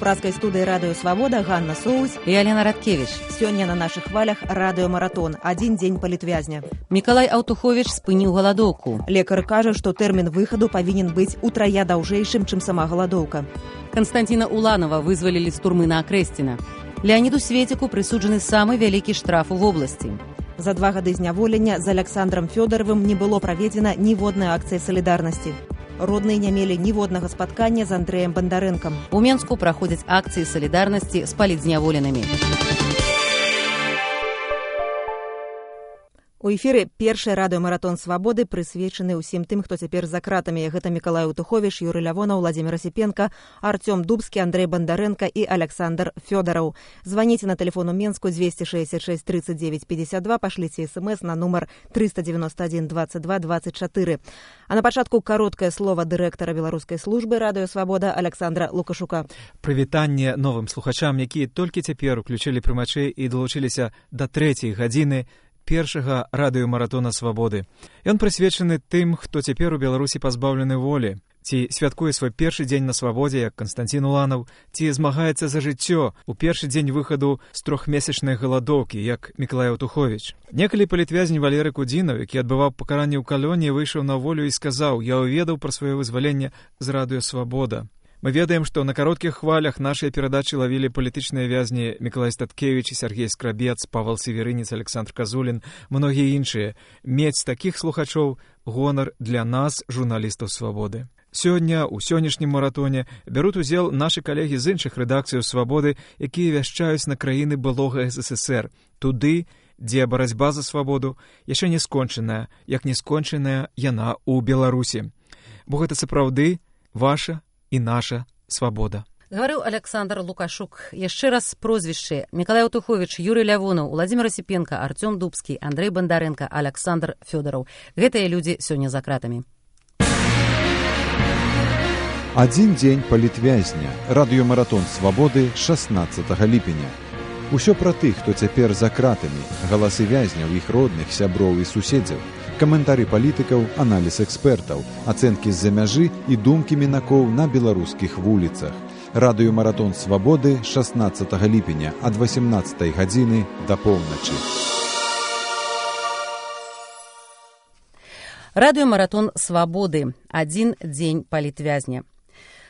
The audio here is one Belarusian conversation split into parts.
празкай студыі радыё Свабода Ганна Соусь і Алена Радкевіч. Сёння на нашых хвалях радыёмаратон. Адзін дзень палітвязня. Мікалай Аўтуховіч спыніў галадоўку. Лекар кажа, што тэрмін выхаду павінен быць утрая даўжэйшым, чым сама галадоўка. Канстанціна Уланова вызвалілі з турмы на Акрэсціна. Леаніду Светіку прысуджаны самы вялікі штраф у вобласці. За 2 гады зняволення з Аляксандрам Фёдаровым не было праведзена ніводнай акцыі салідарнасці. Родныя не мелі ніводнага спаткання з Андрэем Бандарэнкам. У Менску праходзяць акцыі салідарнасці з палітзняволенымі. У эфіры першы радыёмаратон Свабоды прысвечаны ўсім тым, хто цяпер за кратамі. Гэта Мікалай Аўтуховіч, Юрый Лявонаў, Владзімир Асіпенка, Артём Дубскі, Андрэй Бандарэнка і Аляксандр Фёдараў. Званіце на тэлефон у Менску 266 39 52, пашліце смс на нумар 391 22 24. А на пачатку кароткае слова дырэктара беларускай службы радыё Свабода Аляксандра Лукашука. Прывітанне новым слухачам, якія толькі цяпер уключылі прымачы і далучыліся да 3-й гадзіны першага радыёмаратона Свабоды. Ён прысвечаны тым, хто цяпер у Беларусі пазбаўлены волі, ці святкуе свой першы дзень на свабодзе, як Канстанцін Уланаў, ці змагаецца за жыццё у першы дзень выхаду з 3-месячнай галадоўкі, як Мікалай Аўтуховіч. Некалі палітвязень Валерый Кудзінаў, які адбываў пакаранне ў калоніі, выйшаў на волю і сказаў: «Я ўведаў пра сваё вызваленне з радыё Свабода». Мы ведаем, што на кароткіх хвалях нашыя перадачы лавілі палітычныя вязні Мікалай Статкевіч і Сергей Скрабец, Павал Северынец, Александр Казулін, многія іншыя. Мець такіх слухачоў — гонар для нас, журналістаў Свабоды. Сёння, у сённяшнім маратоне, бяруць удзел нашы калегі з іншых рэдакцыяў Свабоды, якія вяшчаюць на краіны былога СССР, туды, дзе барацьба за свабоду яшчэ не скончаная, як не скончаная яна ў Беларусі. Бо гэта сапраўды ваша і наша свабода. Гаварыў Аляксандр Лукашук. Яшчэ раз прозвішчы: Мікалай Аўтуховіч, Юрый Лявонаў, Владзімир Асіпенка, Артём Дубскі, Андрэй Бандарэнка, Аляксандр Фёдараў. Гэтыя людзі сёння за кратамі. Адзін дзень палітвязня. Радыёмаратон Свабоды 16 ліпеня. Усё пра тых, хто цяпер за кратамі, галасы вязняў, іх родных, сяброў і суседзяў, каментары палітыкаў, аналіз экспертаў, ацэнкі з-за мяжы і думкі мінакоў на беларускіх вуліцах. Радыёмаратон Свабоды 16 ліпеня ад 18 гадзіны да поўначы. Радыёмаратон Свабоды. Адзін дзень палітвязня.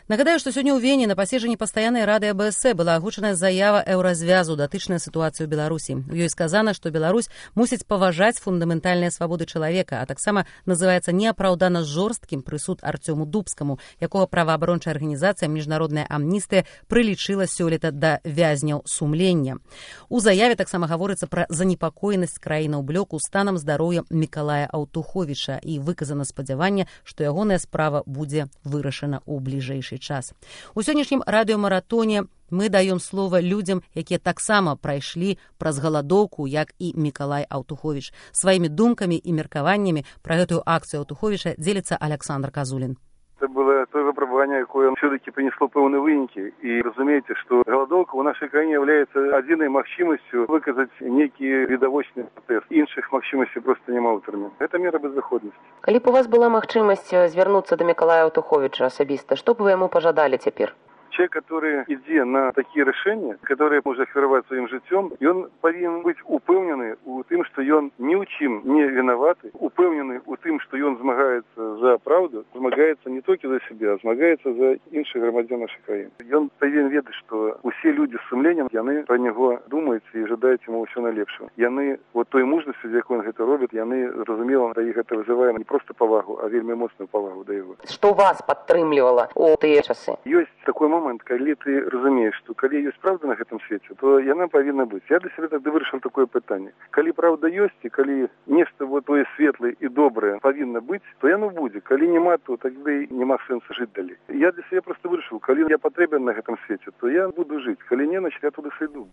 Нагадаю, што сёння ў Вене на паседжанні пастаяннай рады АБС была агучаная заява Еўразвязу датычная сітуацыю ў Беларусі. У ёй сказана, што Беларусь мусіць паважаць фундаментальныя свабоды чалавека, а таксама называецца неапраўдана жорсткім прысуд Артёму Дубскаму, якога праваабарончая арганізацыя «Міжнародная амністыя» прылічыла сёлета да вязняў сумлення. У заяве таксама гаворыцца пра занепакоенасць краінаў блоку станам здароўя Мікалая Аўтуховіча і выказана спадзяванне, што ягоная справа будзе вырашана ў бліжэйшы час. У сённяшнім радыёмаратоне мы даём слова людзям, якія таксама прайшлі праз галадоўку, як і Мікалай Аўтуховіч. Сваімі думкамі і меркаваннямі пра гэтую акцыю Аўтуховіча дзеліцца Александр Казулін. Это было то выпробование, якое все-таки принесло пэўныя вынікі. И разумеете, что голодовка в нашей краине является адзінай магчымасцю выказаць некі відавочны пратэст. Іншых магчымасцей просто няма ў тэрмін. Это мера беззаходнасці. Калі б у вас была магчымасць звярнуцца да Мікалая Аўтуховіча асабіста, што б вы яму пажадалі цяпер? Человек, который ідзе на такие решения, которые может ахвяраваць сваім жыццём, ён павінен быць упэўнены у тым, што ён ні ў чым не вінаваты, упэўнены у тым, што ён змагаецца за праўду, змагаецца не толькі за сябе, а змагаецца за іншых грамадзян нашай краіны. Ён павінен ведаць, што усе людзі з сумленнем, яны пра него думаюць і жадаюць яму ўсё найлепшага. Яны вот той мужнасцю, з якой ён гэта робіць, яны, зразумела, да іх гэта вызывае не проста павагу, а вельмі моцную павагу да яго. Што вас падтрымлівала ў тыя часы? Ёсць такой момент, калі ты разумееш, што калі ёсць праўда на гэтым свеце, то яна павінна быць. Я для сябе тады вырашыў такое пытанне. Калі праўда ёсць, і калі нешта вот тое светлае і добрае павінна быць, то яно будзе. Калі няма, то тады няма сэнсу жыць далей. Я для сябе проста вырашыў, калі я патрэбен на гэтым свеце, то я буду жыць. Калі не, значит, я туды сыйду.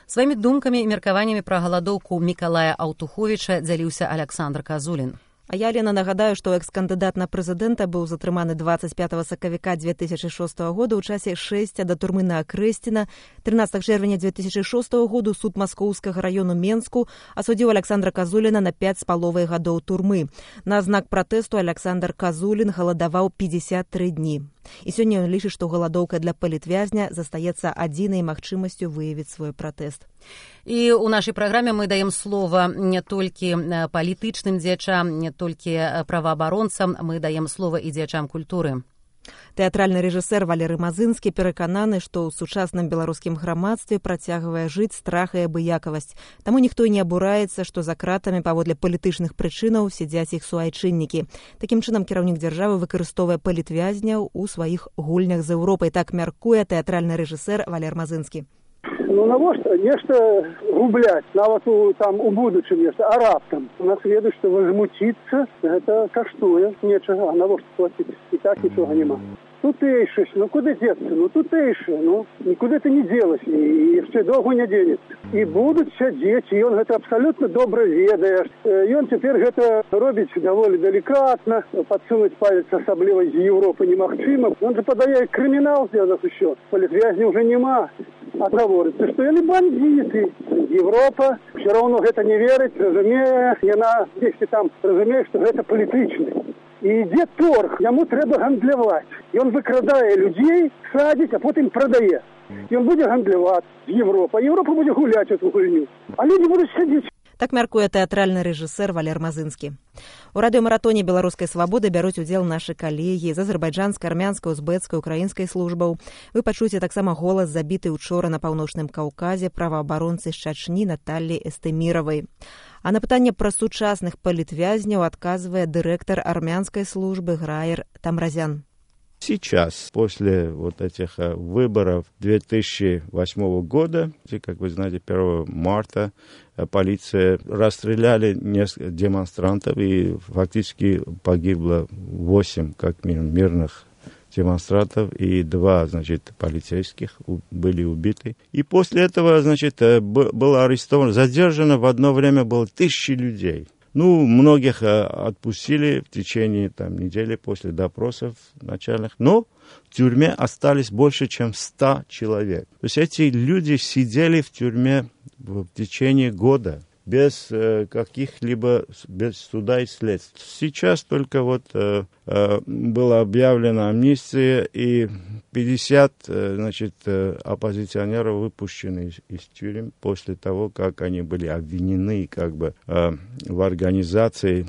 Сваімі думкамі і меркаваннямі пра галадоўку Мікалая Аўтуховіча дзяліўся Александр Казулін. А я, Лена, нагадаю, што экс-кандыдат на прэзідэнта быў затрыманы 25 сакавіка 2006 года ў часе шэсця да турмы на Акрэсціна. 13 чэрвеня 2006 году суд Маскоўскага раёну Менску асудзіў Александра Казуліна на 5,5 гадоў турмы. На знак пратэсту Александр Казулін галадаваў 53 дні. І сёння ён лічыць, што галадоўка для палітвязня застаецца адзінай магчымасцю выявіць свой пратэст. І ў нашай праграме мы даем слова не толькі палітычным дзеячам, не толькі праваабаронцам, мы даем слова і дзеячам культуры. Тэатральны рэжысэр Валерый Мазынскі перакананы, што ў сучасным беларускім грамадстве працягвае жыць страх і абыякавасць. Таму ніхто і не абураецца, што за кратамі паводле палітычных прычынаў сядзяць іх суайчыннікі. Такім чынам кіраўнік дзяржавы выкарыстоўвае палітвязняў у сваіх гульнях з Еўропай. Так мяркуе тэатральны рэжысэр Валерый Мазынскі. Ну навошта нешта губляць, нават у будучым нешта, а раптам. У нас ведаюць, што возмуціцца, гэта каштуе нечага, а навошта плаціць? І так нічога няма. Тутэйшасць, куды дзецца? Тутэйшы, нікуды ты не дзелась, і яшчэ доўга не дзенецца. І будуць сядзець, і ён гэта абсалютна добра ведае. Ён цяпер гэта робіць даволі далікатна, падсунуць палец асабліва з Еўропы немагчыма. Ён жа падае крымінал для нас усё. Палітвязня ўжо няма. А гаворыцца, што яны бандіты. Европа все равно гэта не верыць, разумее, яна дзесьці там разумее, што гэта палітычны. І ідзе торг, яму трэба гандляваць. Ён выкрадае людзей, садзіць, а потым прадае. Ён будзе гандляваць з Европа, а Европа будзе гуляць эту гульню. А людзі будуць сядзець. Так мяркуе тэатральны рэжысэр Валер Мазынскі. У радыёмаратоне беларускай свабоды бяруць удзел нашы калегі з азербайджанскай, армянскай, узбэцкай, украінскай службаў. Вы пачуеце таксама голас забіты учора на паўночным Каўказе праваабаронцы з Чачні Наталлі Эстэміравай. А на пытанне пра сучасных палітвязняў адказвае дырэктар армянскай службы Граер Тамразян. Сейчас, после вот этих выборов 2008 года, как вы знаете, 1 марта полиция расстреляли несколько демонстрантов, и фактически погибло 8, как минимум, мирных демонстрантов, и 2, полицейских были убиты. И после этого, было арестовано, задержано в одно время было 1000 людей. Многих отпустили в течение недели после допросов начальных, но в тюрьме остались больше, чем 100 человек. То есть эти люди сидели в тюрьме в течение года без каких-либо, без суда и следствия. Сейчас только была объявлена амнистия, и 50, оппозиционеров выпущены из тюрем после того, как они были обвинены в организации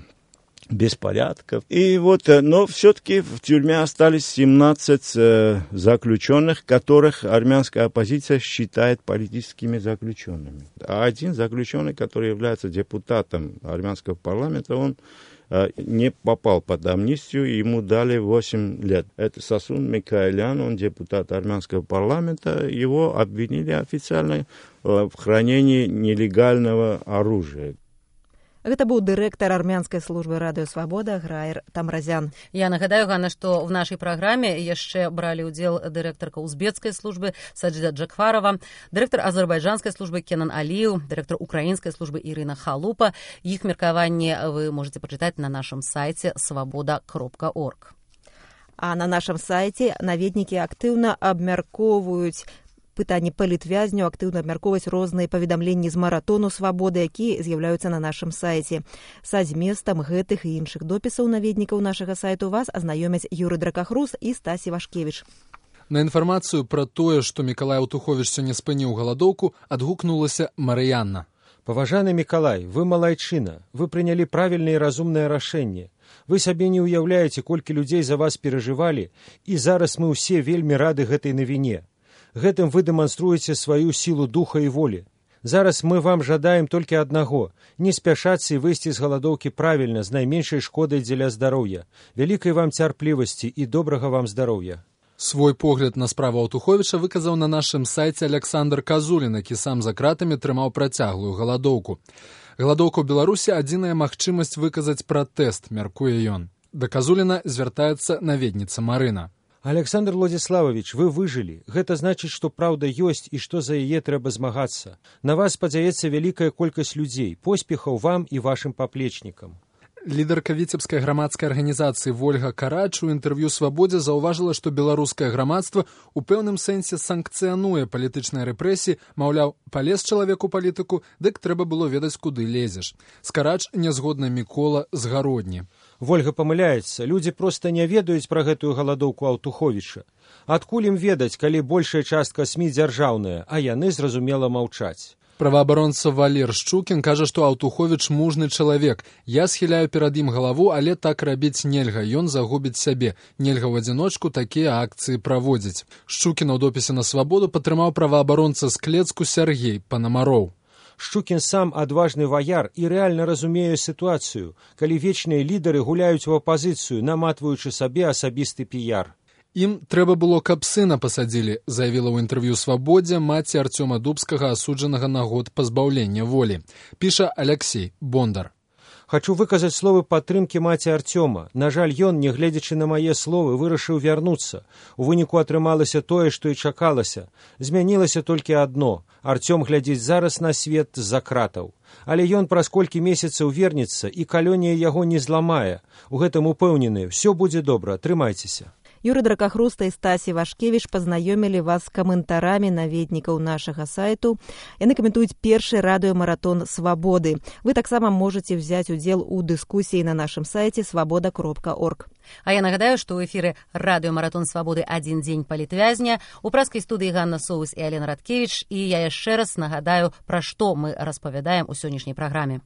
беспорядков. И но все-таки в тюрьме остались 17 заключенных, которых армянская оппозиция считает политическими заключенными. А один заключенный, который является депутатом армянского парламента, он не попал под амнистию, ему дали 8 лет. Это Сасун Микаэлян, он депутат армянского парламента, его обвинили официально в хранении нелегального оружия. Гэта быў дырэктар армянскай службы радыё Свабода Граер Тамразян. Я нагадаю, Ганна, што в нашай праграме яшчэ бралі ўдзел дырэктарка узбекскай службы Саджида Джакфарова, дырэктар азербайджанскай службы Кенан Алиев, дырэктар украінскай службы Ірына Халупа. Іх меркаванне вы можете пачытаць на нашым сайце свабода.орг. А на нашым сайце наведнікі актыўна абмяркоўваюць пытанні палітвязняў, актыўна абмяркоўваць розныя паведамленні з маратону свабоды, якія з'яўляюцца на нашым сайце. Са зместам гэтых і іншых допісаў наведнікаў нашага сайту вас азнаёмяць Юры Дракахрус і Стасі Вашкевіч. На інфармацыю пра тое, што Мікалай Аўтуховіч сёння спыніў галадоўку, адгукнулася Марыянна. Паважаны Мікалай, вы малайчына, вы прынялі правільнае і разумнае рашэнне. Вы сабе не ўяўляеце, колькі людзей за вас перажывалі, і зараз мы ўсе вельмі рады гэтай навіне. Гэтым вы дэманструеце сваю сілу духа і волі. Зараз мы вам жадаем толькі аднаго – не спяшацца і выйсці з галадоўкі правільна, з найменшай шкодай дзеля здароўя. Вялікай вам цярплівасці і добрага вам здароўя. Свой погляд на справу Аўтуховіча выказаў на нашым сайце Александр Казулін, які сам за кратамі трымаў працяглую галадоўку. Галадоўка ў Беларусі – адзіная магчымасць выказаць пратэст, мяркуе ён. Да Казуліна звяртаецца наведніца Марына. Александр Владиславович, вы выжылі. Гэта значыць, што праўда ёсць і што за яе трэба змагацца. На вас спадзяецца вялікая колькасць людзей. Поспехаў вам і вашым паплечнікам. Лідарка віцебскай грамадскай арганізацыі Вольга Карач у інтэрв'ю «Свабодзе» заўважыла, што беларускае грамадства у пэўным сэнсе санкцыянуе палітычныя рэпрэсіі, маўляў, палез чалавек у палітыку, дык трэба было ведаць, куды лезеш. З Карач нязгодна Мікола з Гародні. Вольга памыляецца, людзі проста не ведаюць пра гэтую галадоўку Аўтуховіча. Адкуль ім ведаць, калі большая частка СМІ дзяржаўная, а яны, зразумела, маўчаць. Праваабаронца Валер Шчукін кажа, што Аўтуховіч мужны чалавек. Я схіляю перад ім галаву, але так рабіць нельга, ён загубіць сябе. Нельга ў адзіночку такія акцыі праводзіць. Шчукіна ў допісе на «Свабоду» падтрымаў праваабаронца з Клецку Сяргей Панамароў. Шчукін сам адважны ваяр і рэальна разумее сітуацыю, калі вечныя лідары гуляюць у апазіцыю, наматваючы сабе асабісты піяр. Ім трэба было, каб сына пасадзілі, заявіла ў інтэрв'ю «Свабодзе» маці Арцёма Дубскага, асуджанага на год пазбаўлення волі. Піша Алексей Бондар. Хачу выказаць словы падтрымкі маці Арцёма. На жаль, ён, нягледзячы на мае словы, вырашыў вярнуцца. У выніку атрымалася тое, што і чакалася. Змянілася толькі адно. Арцём глядзіць зараз на свет з-за кратаў. Але ён праз колькі месяцаў вернецца, і калонія яго не зламае. У гэтым упэўнены, ўсё будзе добра, трымайцеся. Юрый Дракахруста і Стасі Вашкевіч пазнаёмілі вас з каментарамі наведнікаў нашага сайту. Яны каментуюць першы радыёмаратон «Свабоды». Вы таксама можаце взяць удзел у дыскусіі на нашым сайце свабода.орг. А я нагадаю, што ў эфіры радыёмаратон «Свабоды. Адзін дзень палітвязня». У праскай студыі Ганна Соус і Алена Радкевіч. І я яшчэ раз нагадаю, пра што мы распавядаем у сённяшняй праграме.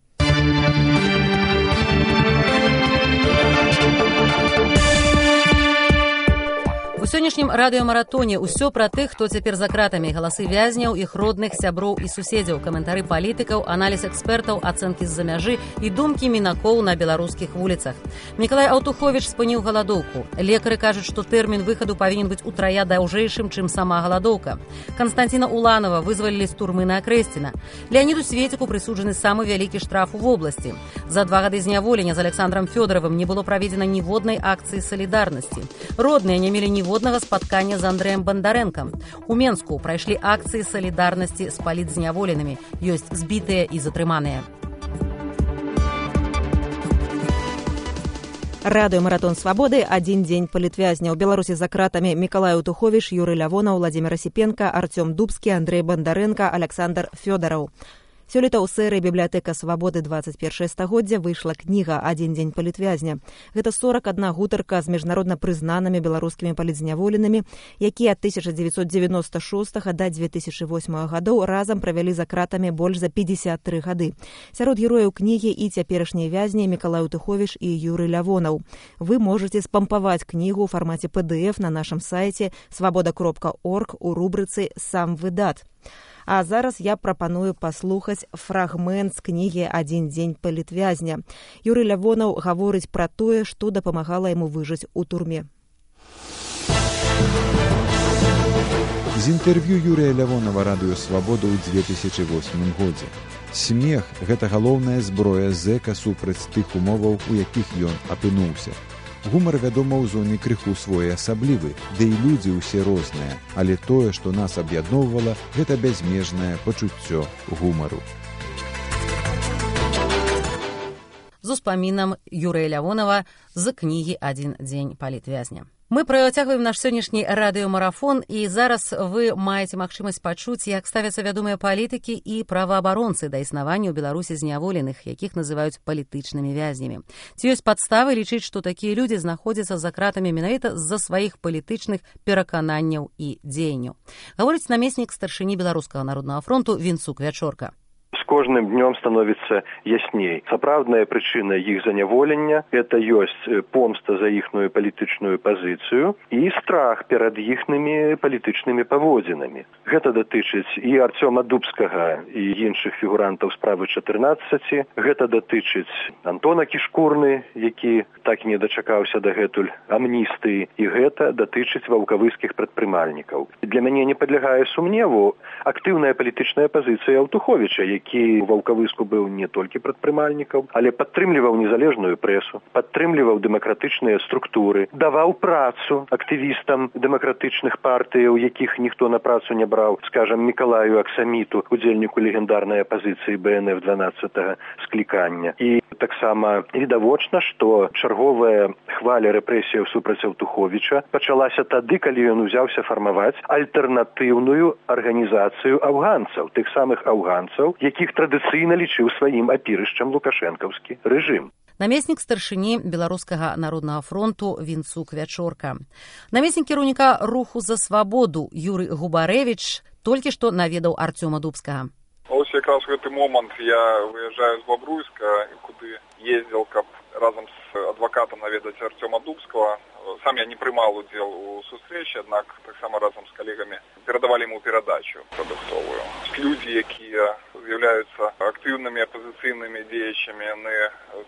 У сённяшнім радыёмаратоне ўсё пра тых, хто цяпер за кратамі, галасы вязняў, іх родных, сяброў і суседзяў, каментары палітыкаў, аналіз экспертаў, ацэнкі з-за мяжы і думкі мінакоў на беларускіх вуліцах. Мікалай Аўтуховіч спыніў галадоўку. Лекары кажуць, што тэрмін выхаду павінен быць утрая даўжэйшым, чым сама галадоўка. Канстанціна Уланова вызвалілі з турмы на Акрэсціна. Леаніду Светіку прысуджаны самы вялікі штраф у вобласці. За 2 гады зняволення з Александром Фёдаровым не было праведзена ніводнай акцыі салідарнасці. Родныя не мелі ніводнага спаткання з Андрэем Бандарэнкам. У Менску прайшлі акцыі салідарнасці з палітзняволенымі. Ёсць збітыя і затрыманыя. Радыёмаратон «Свабоды. Адзін дзень палітвязня». У Беларусі за кратамі Мікалай Аўтуховіч, Юрый Лявонаў, Владзімир Асіпенка, Арцём Дубскі, Андрэй Бандарэнка, Александр Фёдараў. Сёлета ў серыі «Бібліятэка Свабоды 21 стагоддзя» выйшла кніга «Адзін дзень палітвязня». Гэта 41 гутарка з міжнародна прызнанымі беларускімі палітзняволенымі, якія ад 1996 да 2008 гадоў разам правялі за кратамі больш за 53 гады. Сярод герояў кнігі і цяперашнія вязні Мікалай Аўтуховіч і Юрый Лявонаў. Вы можаце спампаваць кнігу ў фармаце PDF на нашым сайце свабода.орг у рубрыцы «Сам выдат». А зараз я прапаную паслухаць фрагмент з кнігі «Адзін дзень палітвязня». Юрый Лявонаў гаворыць пра тое, што дапамагала яму выжыць у турме. З інтэрв'ю Юрыя Лявонава радыё «Свабода» ў 2008 годзе. Смех – гэта галоўная зброя зэка супраць тых умоваў, у якіх ён апынуўся. Гумар, вядома, у зоне крыху своеасаблівы, ды і людзі ўсе розныя, але тое, што нас аб'ядноўвала, гэта бязмежнае пачуццё гумару. З успамінам Юрыя Лявонава з кнігі «Адзін дзень палітвязня». Мы працягваем наш сённяшні радыёмарафон, і зараз вы маеце магчымасць пачуць, як ставяцца вядомыя палітыкі і праваабаронцы да існавання ў Беларусі зняволеных, якіх называюць палітычнымі вязнямі. Ці ёсць падставы лічыць, што такія людзі знаходзяцца за кратамі менавіта з-за сваіх палітычных перакананняў і дзеянняў. Гаворыць намеснік старшыні Беларускага народнага фронту Вінцук Вячорка. З кожным днём становіцца ясней. Сапраўдная прычына іх заняволення – это ёсць помста за іхную палітычную пазіцыю і страх перад іхнымі палітычнымі паводзінамі. Гэта датычыць і Арцёма Дубскага, і іншых фігурантаў справы 14, гэта датычыць Антона Кішкурны, які так і не дачакаўся дагэтуль амністыі, і гэта датычыць ваўкавыскіх прадпрымальнікаў. Для мяне не падлягае сумневу актыўная палітычная пазіцыя Аўтуховіча, які які ва ўкавыску быў не толькі прадпрымальнікаў, але падтрымліваў незалежную прэсу, падтрымліваў дэмакратычныя структуры, даваў працу актывістам дэмакратычных партыяў, якіх ніхто на працу не браў, скажам, Мікалаю Аксаміту, удзельніку легендарнай апазіцыі БНФ 12-го склікання. І таксама відавочна, што чарговая хваля рэпрэсіяў супраць Аўтуховіча пачалася тады, калі ён узяўся фармаваць альтэрнатыўную арганізацыю афганцаў, тых самых афганцаў, якіх традыцыйна лічыў сваім апірышчам лукашэнкаўскі рэжым. Намеснік старшыні Беларускага народнага фронту Вінцук Вячорка. Намеснік кіраўніка руху за свабоду Юрый Губарэвіч толькі што наведаў Арцёма Дубскага. Ось якраз у гэты момант я выязджаю з Бобруйска, куды ездзіў, каб разам з адвакатам наведаць Арцёма Дубскага. Сам я не прымаў удзел у сустрэчы, аднак таксама разам з калегамі перадавалі яму перадачу прадуктовую. Людзі, якія з'яўляюцца актыўнымі апазіцыйнымі дзеячамі, яны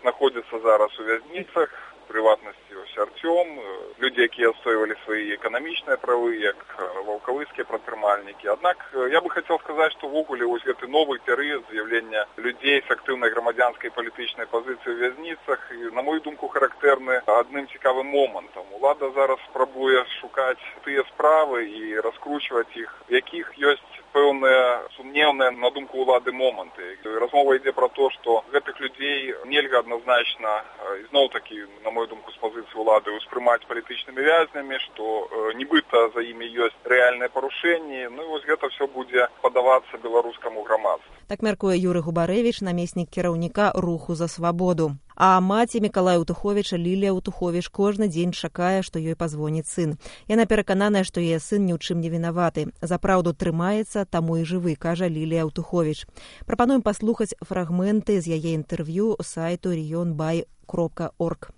знаходзяцца зараз у вязніцах, прыватнасці ось Артём, людзі, якія адстойвалі свае эканамічныя правы, як ваўкавыскія прадпрымальнікі. Аднак я бы хацеў сказаць, што ввогуле вось гэты новы перыяд з'яўлення людзей з актыўнай грамадзянскай палітычнай пазіцыі ў вязніцах, і, на мою думку, характэрны адным цікавым момантам. Улада зараз спрабуе шукаць тыя справы і раскручваць іх, якіх ёсць пэўныя сумнеўныя, на думку ўлады, моманты. Размова ідзе пра то, што гэтых людзей нельга адназначна, ізноў-такі, на мою думку, з пазіцыі ўлады успрымаць палітычнымі вязнямі, што нібыта за імі ёсць рэальныя парушэнні. Ну і вось гэта ўсё будзе падавацца беларускаму грамадству. Так мяркуе Юрый Губарэвіч, намеснік кіраўніка руху за свабоду. А маці Мікалая Аўтуховіча Лілія Аўтуховіч кожны дзень чакае, што ёй пазвоніць сын. Яна перакананая, што яе сын ні ў чым не вінаваты. За праўду трымаецца, таму і жывы, кажа Лілія Аўтуховіч. Прапануем паслухаць фрагменты з яе інтэрв'ю сайту regionby.org.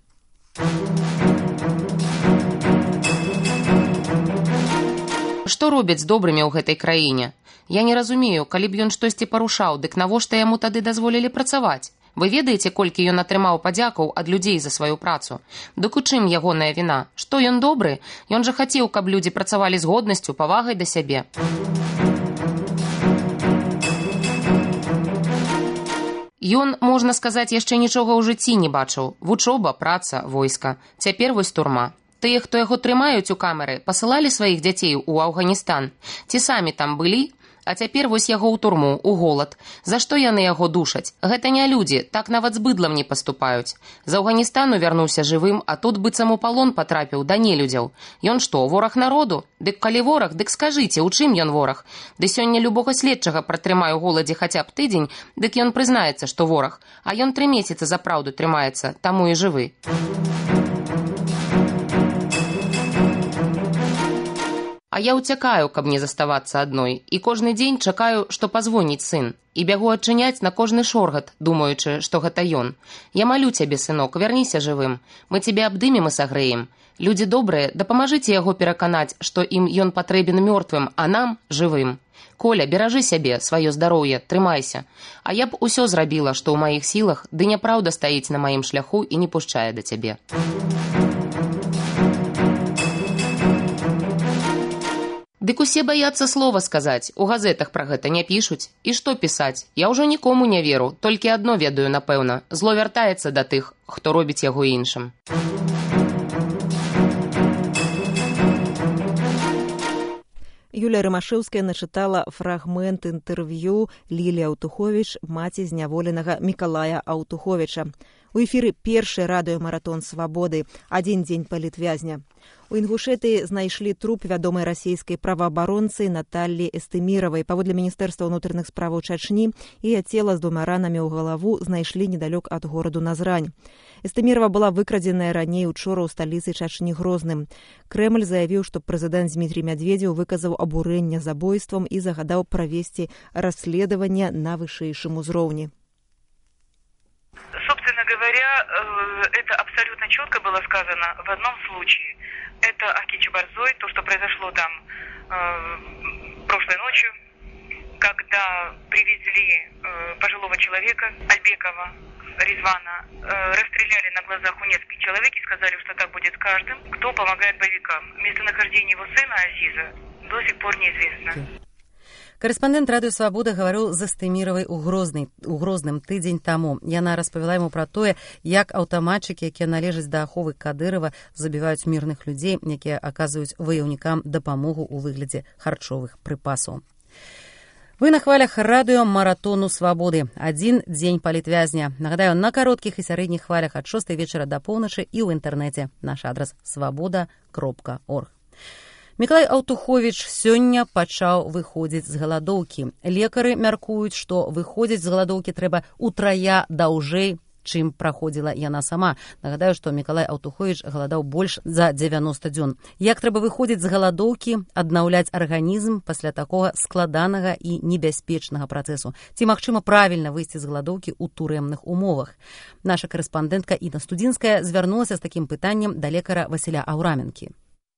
Што робяць з добрымі ў гэтай краіне? Я не разумею, калі б ён штосьці парушаў, дык навошта яму тады дазволілі працаваць? Вы ведаеце, колькі ён атрымаў падзякаў ад людзей за сваю працу? Дык у чым ягоная віна? Што ён добры? Ён жа хацеў, каб людзі працавалі з годнасцю, павагай да сябе. Ён, можна сказаць, яшчэ нічога ў жыцці не бачыў. Вучоба, праца, войска. Цяпер вось турма. Тыя, хто яго трымаюць у камеры, пасылалі сваіх дзяцей у Афганістан. Ці самі там былі? А цяпер вось яго ў турму, у голад. За што яны яго душаць? Гэта не людзі, так нават з быдлам не паступаюць. З Афганістану вярнуўся жывым, а тут быццам у палон патрапіў да нелюдзяў. Ён што, вораг народу? Дык калі вораг, дык скажыце, у чым ён вораг? Ды сёння любога следчага пратрымаю ў голадзе хаця б тыдзень, дык ён прызнаецца, што вораг. А ён 3 месяцы за праўду трымаецца, таму і жывы. А я ўцякаю, каб не заставацца адной, і кожны дзень чакаю, што пазвоніць сын. І бягу адчыняць на кожны шоргат, думаючы, што гэта ён. Я малю цябе, сынок, вярніся жывым. Мы цябе абдымем і сагрэем. Людзі добрыя, дапамажыце яго пераканаць, што ім ён патрэбен мёртвым, а нам жывым. Коля, беражы сябе, сваё здароўе, трымайся. А я б усё зрабіла, што ў маіх сілах, ды няпраўда стаіць на маім шляху і не пушчае да цябе. Дык усе баяцца слова сказаць, у газетах пра гэта не пішуць. І што пісаць? Я ўжо нікому не веру, толькі адно ведаю, напэўна. Зло вяртаецца да тых, хто робіць яго іншым. Юлія Рымашэўская начытала фрагмент інтэрв'ю Лілі Аўтуховіч, маці зняволенага Мікалая Аўтуховіча. У эфіры першы радыёмаратон свабоды, адзін дзень палітвязня. У Інгушэтыі знайшлі труп вядомай расійскай праваабаронцы Наталлі Эстэміравай. Паводле Міністэрства ўнутраных справаў Чачні, яе цела з 2 ранамі ў галаву знайшлі недалёк ад гораду Назрань. Эстэмірава была выкрадзеная раней учора ў сталіцы Чачні Грозным. Крэмль заявіў, што прэзідэнт Дмітрий Медведзеў выказаў абурэнне забойствам і загадаў правесці расследаванне на вышэйшым узроўні. Собственно говоря, это абсолютно четко было сказано в одном случае. Это Ахкичи-Борзой, то, что произошло там прошлой ночью, когда привезли пожилого человека, Альбекова, Резвана, расстреляли на глазах у нескольких человек и сказали, что так будет с каждым, кто помогает боевикам. Местонахождение его сына Азиза до сих пор неизвестно. Карэспандэнт радыё Свабода гаварыў з Астэміравай у Грозным тыдзень таму. Яна распавяла яму пра тое, як аўтаматчыкі, якія належаць да аховы Кадырова, забіваюць мірных людзей, якія аказваюць ваяўнікам дапамогу ў выглядзе харчовых прыпасаў. Вы на хвалях радыё Маратону Свабоды. Адзін дзень палітвязня. Нагадаю, на кароткіх і сярэдніх хвалях ад 6 вечара да поўначы і ў інтэрнэце. Наш адрас свабода.орг. Мікалай Аўтуховіч сёння пачаў выходзіць з галадоўкі. Лекары мяркуюць, што выходзіць з галадоўкі трэба утрая даўжэй, чым праходзіла яна сама. Нагадаю, што Мікалай Аўтуховіч галадаў больш за 90 дзён. Як трэба выходзіць з галадоўкі, аднаўляць арганізм пасля такога складанага і небяспечнага працэсу? Ці магчыма правільна выйсці з галадоўкі ў турэмных умовах? Наша карэспандэнтка Інна Студзінская звярнулася з такім пытаннем да лекара Васіля Аўраменкі.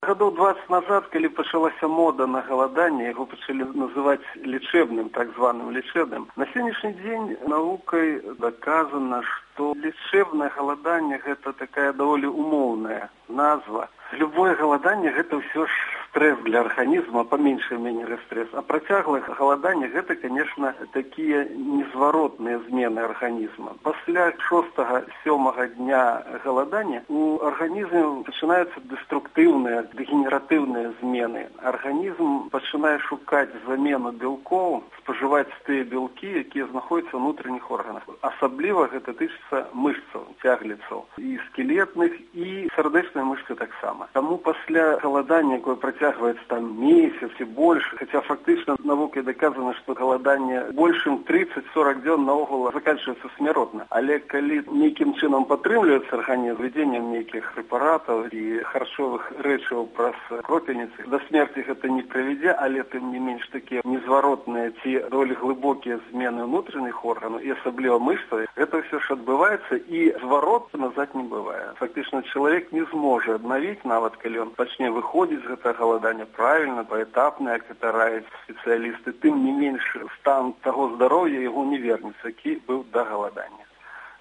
Гадоў 20 назад, калі пачалася мода на галаданне, яго пачалі называць лечебным, так званым лечебным. На сённяшні дзень навукай доказана, што лечебнае галаданне – гэта такая даволі умоўная назва. Любое галаданне – гэта ўсё ж стресс для арганізма, па меншай мере стресс. А працяглае галаданне – гэта, конечно, такія незваротныя змены арганізма. Пасля 6-7 дня галадання у арганізме пачынаюцца дэструктыўныя, дэгенератыўныя змены. Арганізм пачынае шукаць замену бялкоў, спажываць тыя бялкі, якія знаходзяцца ў унутраных органах. Асабліва гэта тычыцца мышцаў, цягліцаў, і скелетных, і сардэчныя мышцы таксама. Таму пасля галадання, якое працягваецца там месяц і больш, хаця фактычна навукай доказана, што галаданне большым 30-40 дзён наогул заканчваецца смяротна. Але калі нейкім чынам падтрымліваецца арганізм введзеннем нейкіх прэпаратаў і харчовых рэчываў праз кропельніцы, да смерці гэта не прывядзе, але тым не менш такія незваротныя ці даволі глыбокія змены ўнутраных органаў і асабліва мышцаў, гэта ўсё ж адбываецца і зварот назад не бывае. Фактычна чалавек не зможа аднавіць, нават калі ён пачне выходзіць з гэтага галадання правільна, паэтапна, як гэта раяць спецыялісты, тым не менш стан таго здароўя яго не вернецца, які быў да галадання.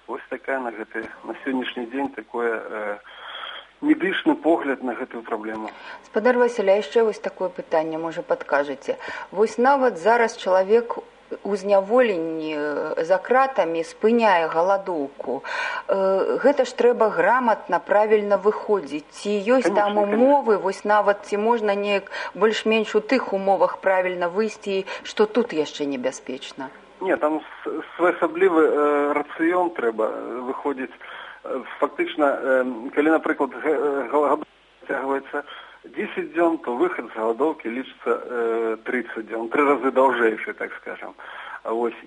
Вось такая на сённяшні дзень такое медычны погляд на гэтую праблему. Спадар Васіля, яшчэ вось такое пытанне, можа, падкажаце. Вось нават зараз чалавек у зняволенні за кратамі спыняе галадоўку. Гэта ж трэба граматна, правільна выходзіць. Ці ёсць там умовы, вось нават ці можна неяк больш-менш у тых умовах правільна выйсці, што тут яшчэ небяспечна? Не, там своеасаблівы рацыён трэба выходзіць. Фактычна, калі, напрыклад, галадоўка цягваецца 10 дзён, то выход з галадоўкі лічыцца 30 дзён, 3 разы даўжэйшы, так скажем.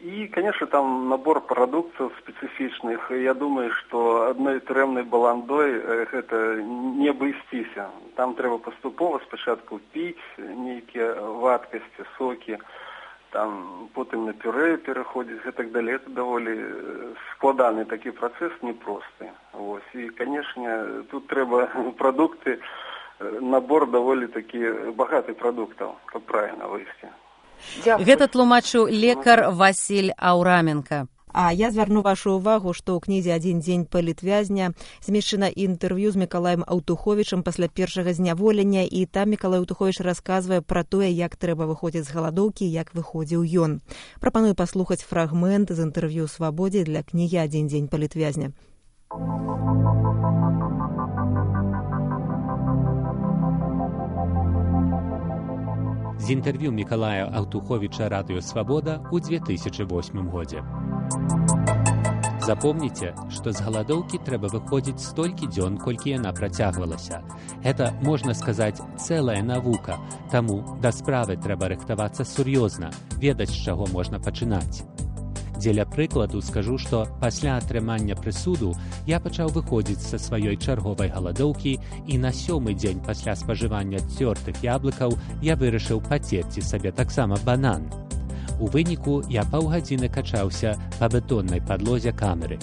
І, конечно, там набор прадуктаў спецыфічных. Я думаю, што адной турэмнай баландой гэта не абысціся. Там трэба паступова спачатку піць нейкія вадкасці, сокі, там потым на пюрэ пераходзіць, і так далее. Это даволі складаны такі працэс, непросты. І, конечно, тут трэба прадукты, набор даволі такі багаты прадуктаў, каб правільна выйсці. Гэта тлумачыў лекар Васіль Аўраменка. А я звярну вашу ўвагу, што ў кнізе «Адзін дзень палітвязня» змешчана інтэрв'ю з Мікалаем Аўтуховічам пасля першага зняволення, і там Мікалай Аўтуховіч расказвае пра тое, як трэба выходзіць з галадоўкі, як выходзіў ён. Прапаную паслухаць фрагмент з інтэрв'ю «Свабодзе» для кнігі «Адзін дзень палітвязня». З інтэрв'ю Мікалая Аўтуховіча радыё «Свабода» ў 2008 годзе. Запомніце, што з галадоўкі трэба выходзіць столькі дзён, колькі яна працягвалася. Гэта, можна сказаць, цэлая навука, таму да справы трэба рыхтавацца сур'ёзна, ведаць, з чаго можна пачынаць. Дзеля прыкладу скажу, што пасля атрымання прысуду я пачаў выходзіць са сваёй чарговай галадоўкі, і на 7-й дзень пасля спажывання цёртых яблыкаў я вырашыў пацерці сабе таксама банан. У выніку я паўгадзіны качаўся па бетоннай падлозе камеры.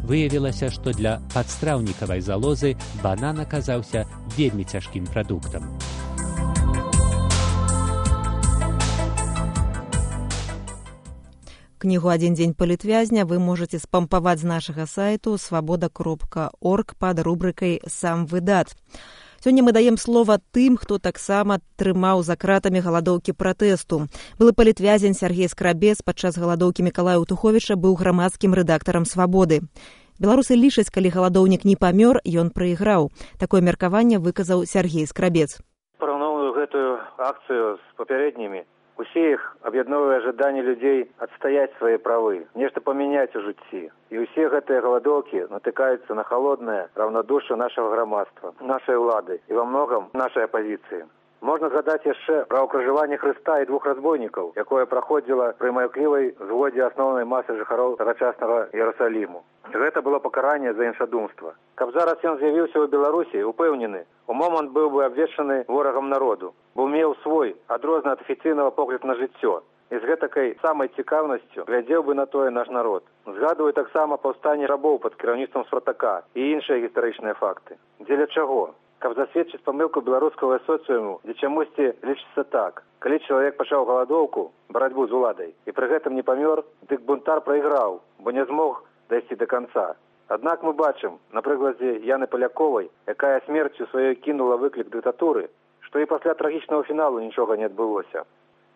Выявілася, што для падстраўнікавай залозы банан аказаўся вельмі цяжкім прадуктам. Кнігу «Адзін дзень палітвязня» вы можаце спампаваць з нашага сайту свабода.орг пад рубрыкай «Сам выдат». Сёння мы даем слова тым, хто таксама трымаў за кратамі галадоўкі пратэсту. Былы палітвязень Сяргей Скрабец падчас галадоўкі Мікалая Утуховіча быў грамадскім рэдактарам «Свабоды». Беларусы лічаць, калі галадоўнік не памёр, ён прайграў. Такое меркаванне выказаў Сяргей Скрабец. Параўноўваю гэтую акцыю з папярэднімі. Усе іх аб'ядноўвае жаданне людзей адстаяць свае правы, нешта памяняць у жыцці. І ўсе гэтыя галадоўкі натыкаюцца на халоднае раўнадушча нашага грамадства, нашай улады і ва многам нашай апазіцыі. Можна згадаць яшчэ пра ўкрыжаванне Хрыста і двух разбойнікаў, якое праходзіла пры маўклівай згодзе асноўнай масы жыхароў тагачаснага Іерусаліму. Гэта было пакаранне за іншадумства. Каб зараз ён з'явіўся ў Беларусі, упэўнены, у момант быў бы абвешчаны ворагам народу, бо меў свой адрозны ад афіцыйнага погляд на жыццё. І з гэтакай самай цікаўнасцю глядзеў бы на тое наш народ. Згадваю таксама паўстанне рабоў пад кіраўніцтвам Спартака і іншыя гістарычныя факты. Дзеля чаго? Каб засведчыць памылку беларускага соцыуму, дзе чамусьці лічыцца так. Калі чалавек пачаў галадоўку, барацьбу з уладай, і пры гэтым не памёр, дык бунтар прайграў, бо не змог дайсці да канца. Аднак мы бачым, на прыкладзе Яны Паляковай, якая смерцю сваёй кінула выклік дыктатуры, што і пасля трагічнага фіналу нічога не адбылося.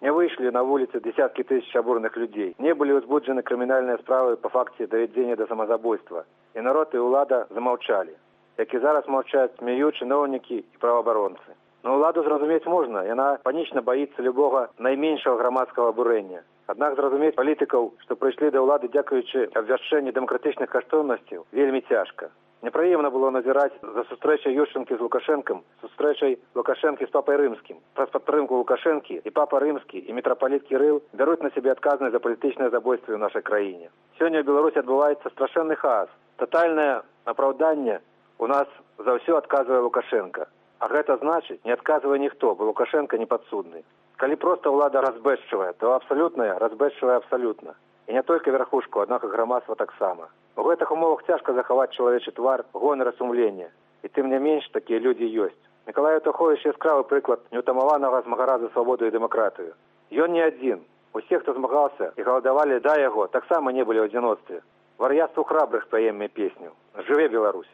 Не выйшлі на вуліцы дзесяткі тысяч абурных людзей, не былі ўзбуджаны крымінальныя справы па факце давядзення да самазабойства, і народ і ўлада замаўчалі. Як і зараз маўчаць смею чыноўнікі і праваабаронцы. Но ўладу зразумець можна, яна панічна баіцца любога найменшага грамадскага абурэння. Аднак зразумець палітыкаў, што прыйшлі да ўлады дзякуючы абвяшчэнню дэмакратычных каштоўнасцяў, вельмі цяжка. Непрыемна было назіраць за сустрэчай Ющенкі з Лукашэнкам, сустрэчай Лукашэнкі з папай рымскім. Праз падтрымку Лукашэнкі і папа рымскі і мітрапаліт Кірыл бяруць на сябе адказнасць за палітычнае забойстве ў нашай краіне. Сёння ў Беларусі адбываецца страшэнны хаос. Татальнае апраўданне у нас за ўсё адказвае Лукашенко. А гэта значыць, не адказвае ніхто, бо Лукашенко не падсудны. Калі проста ўлада разбэшчвае, то абсалютная разбэшчвае абсалютна. І не толькі верхушку, аднак і грамадства таксама. У гэтых умовах цяжка захаваць чалавечы твар, гонар і сумленне. І тым не менш такія людзі ёсць. Мікалай Утуховіч яскравы прыклад неўтамаванага змагара за свабоду і дэмакратыю. Ён не адзін. Усе, хто змагаўся і галадавалі да яго, таксама не былі ў адзіноцтве. Вар'яцтву храбрых паемме песню. Жыве Беларусь!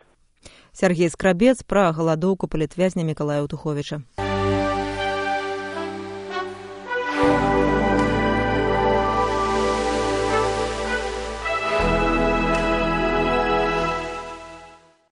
Сяргей Скрабец пра галадоўку палітвязня Мікалая Утуховіча.